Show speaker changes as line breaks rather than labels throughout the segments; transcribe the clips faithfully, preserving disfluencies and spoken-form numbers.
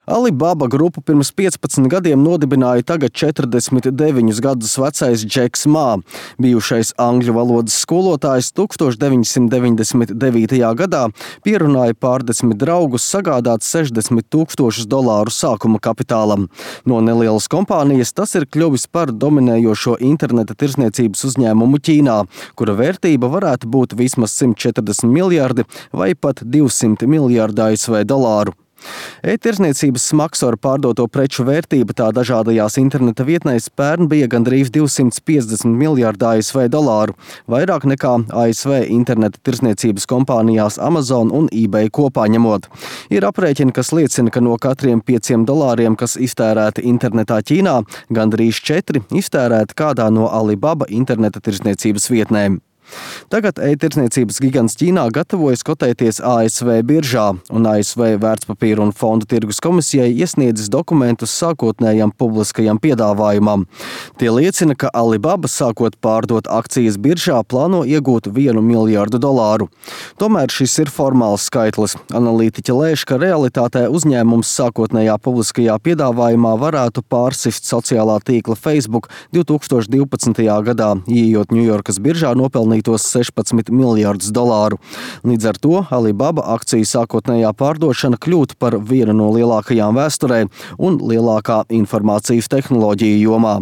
Alibaba grupu pirms piecpadsmit gadiem nodibināja tagad četrdesmit deviņus gadus vecais Džeks Mā, bijušais angļu valodas skolotājs tūkstoš deviņsimt deviņdesmit devītajā gadā pierunāja pārdesmit draugus sagādāt sešdesmit tūkstošus dolāru sākuma kapitālam. No nelielas kompānijas tas ir kļuvis par dominējošo interneta tirzniecības uzņēmumu Ķīnā, kura vērtība varētu būt vismaz simt četrdesmit miljardi vai pat divsimt miljardi A S V dolāru. E-tirzniecības smagsvaru pārdoto preču vērtība tā dažādajās interneta vietnēs pērn bija gandrīz divsimt piecdesmit miljardi A S V dolāru, vairāk nekā A S V interneta tirzniecības kompānijās Amazon un eBay kopā ņemot. Ir aprēķini, kas liecina, ka no katriem pieciem dolāriem, kas iztērēti internetā Ķīnā, gandrīz četri iztērēti kādā no Alibaba interneta tirzniecības vietnēm. Tagad e-tirzniecības gigants Ķīnā gatavojas kotēties A S V biržā, un A S V vērtspapīru un fondu tirgus komisijai iesniedzis dokumentus sākotnējam publiskajam piedāvājumam. Tie liecina, ka Alibaba, sākot pārdot akcijas biržā, plāno iegūt vienu miljardu dolāru. Tomēr šis ir formāls skaitlis. Analītiķi lēš, ka realitātē uzņēmums sākotnējā publiskajā piedāvājumā varētu pārsist sociālā tīkla Facebook divtūkstoš divpadsmitajā gadā, ieejot Ņujorkas biržā nopelnīt tos sešpadsmit miljardus dolāru. Līdz ar to Alibaba akciju sākotnējā pārdošana kļūtu par vienu no lielākajām vēsturē un lielākā informācijas tehnoloģiju jomā.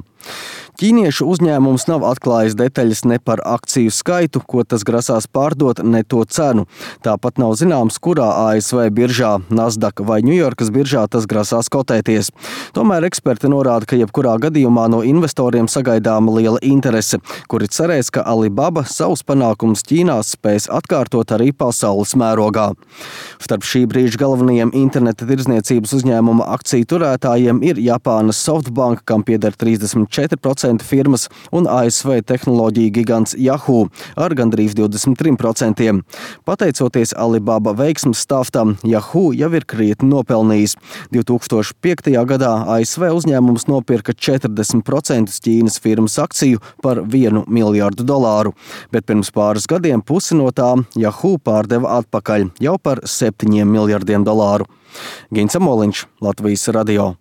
Ķīniešu uzņēmums nav atklājis detaļas ne par akciju skaitu, ko tas grasās pārdot, ne to cenu. Tāpat nav zināms, kurā A S V biržā, Nasdaq vai Ņujorkas biržā tas grasās kotēties. Tomēr eksperti norāda, ka jebkurā gadījumā no investoriem sagaidāma liela interese, kuri cerēs, ka Alibaba savus panākumus Ķīnā spēs atkārtot arī pasaules mērogā. Starp šī brīža galvenajiem interneta tirdzniecības uzņēmuma akciju turētājiem ir Japānas Softbank, kam pieder trīsdesmit četri procenti firmas, un A S V tehnoloģija gigants Yahoo ar gandrīz divdesmit trim procentiem. Pateicoties Alibaba veiksmes stāstam, Yahoo jau ir krietni nopelnījis. divtūkstoš piektajā gadā A S V uzņēmums nopirka četrdesmit procentus Ķīnas firmas akciju par vienu miljardu dolāru, bet pirms pāris gadiem pusi no tām Yahoo pārdeva atpakaļ jau par septiņiem miljardiem dolāru. Gins Amoliņš, Latvijas radio.